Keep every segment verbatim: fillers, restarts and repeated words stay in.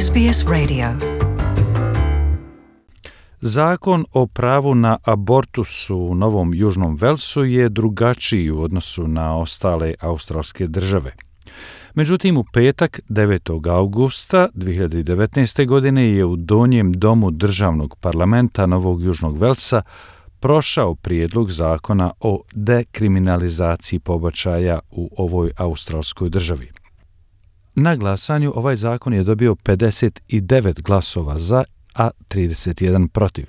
S B S Radio. Zakon o pravu na abortus u Novom Južnom Velsu je drugačiji u odnosu na ostale australske države. Međutim, u petak, devetog augusta dvije hiljade devetnaeste. godine je u Donjem domu državnog parlamenta Novog Južnog Velsa prošao prijedlog zakona o dekriminalizaciji pobačaja u ovoj australskoj državi. Na glasanju ovaj zakon je dobio pedeset devet glasova za, a trideset jedan protiv.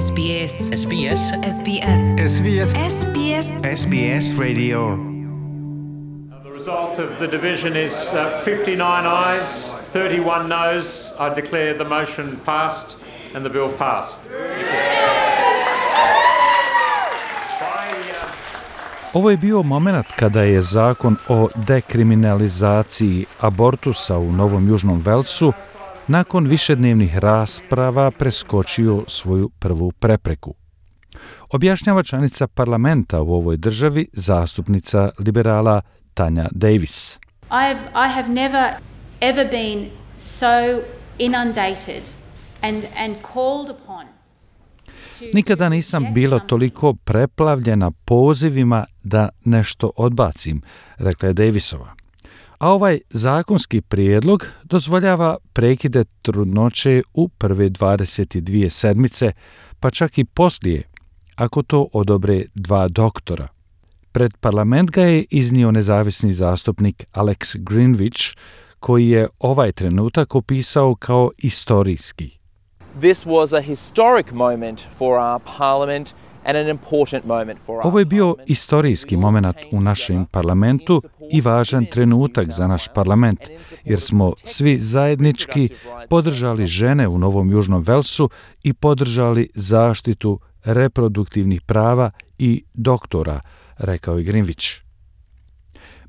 S B S. S B S. S B S. S B S. S B S. S B S Radio. The result of the division is uh, fifty-nine ayes, thirty-one noes. I declare the motion passed and the bill passed. Ovo je bio moment kada je zakon o dekriminalizaciji abortusa u Novom Južnom Velsu nakon višednevnih rasprava preskočio svoju prvu prepreku. Objašnjava članica parlamenta u ovoj državi, zastupnica liberala Tanja Davis. I've, I have never ever been so inundated and, and called upon. Nikada nisam bila toliko preplavljena pozivima da nešto odbacim, rekla je Davisova. A ovaj zakonski prijedlog dozvoljava prekide trudnoće u prve dvadeset dvije sedmice, pa čak i poslije, ako to odobre dva doktora. Pred parlament ga je iznio nezavisni zastupnik Alex Greenwich, koji je ovaj trenutak opisao kao istorijski. This was a historic moment for our parliament and an important moment for our Ovo je bio istorijski moment u našem parlamentu i važan trenutak za naš parlament, jer smo svi zajednički podržali žene u Novom Južnom Velsu i podržali zaštitu reproduktivnih prava i doktora, rekao je Greenwich.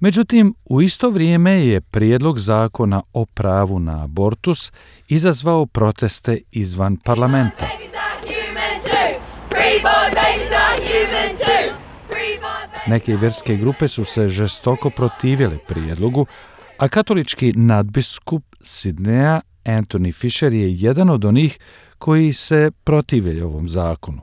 Međutim, u isto vrijeme je prijedlog zakona o pravu na abortus izazvao proteste izvan parlamenta. Neke vjerske grupe su se žestoko protivile prijedlogu, a katolički nadbiskup Sidneja Anthony Fisher je jedan od onih koji se protive ovom zakonu.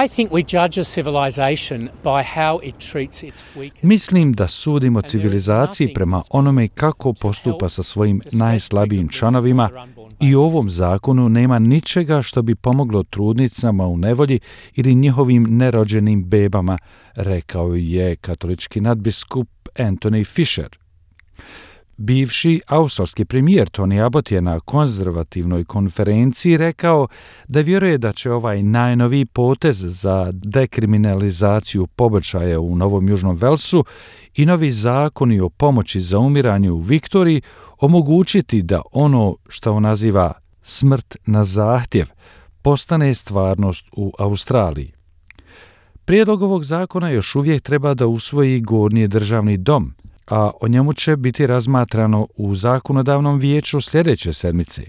I think we judge a civilization by how it treats its weakest. Mislim da sudimo civilizaciji prema onome kako postupa sa svojim najslabijim članovima i u ovom zakonu nema ničega što bi pomoglo trudnicama u nevolji ili njihovim nerođenim bebama, rekao je katolički nadbiskup Anthony Fisher. Bivši australski premijer Tony Abbott je na konzervativnoj konferenciji rekao da vjeruje da će ovaj najnoviji potez za dekriminalizaciju pobačaja u Novom Južnom Velsu i novi zakoni o pomoći za umiranje u Viktoriji omogućiti da ono što on naziva smrt na zahtjev postane stvarnost u Australiji. Prijedlog ovog zakona još uvijek treba da usvoji Gornji državni dom, a o njemu će biti razmatrano u zakonodavnom vijeću sljedeće sedmice.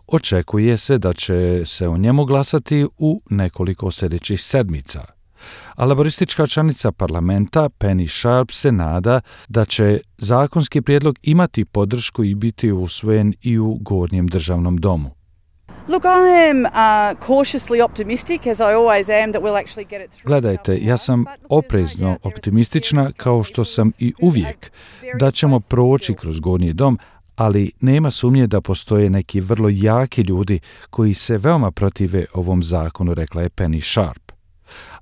Očekuje se da će se o njemu glasati u nekoliko sljedećih sedmica. A laboristička članica parlamenta Penny Sharp se nada da će zakonski prijedlog imati podršku i biti usvojen i u Gornjem državnom domu. Look, I am uh, cautiously optimistic, as I always am, that we'll actually get it through. Gledajte, ja sam oprezno optimistična, kao što sam i uvijek, da ćemo proći kroz Gornji dom, ali nema sumnje da postoje neki vrlo jaki ljudi koji se veoma protive ovom zakonu, rekla je Penny Sharp.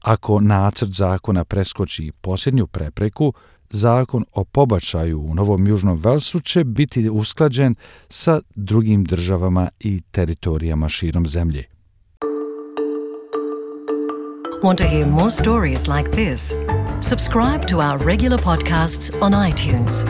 Ako nacrt zakona preskoči posljednju prepreku, zakon o pobačaju u Novom Južnom Velsu će biti usklađen sa drugim državama i teritorijama širom zemlje. Want to hear more stories like this? Subscribe to our regular podcasts on iTunes.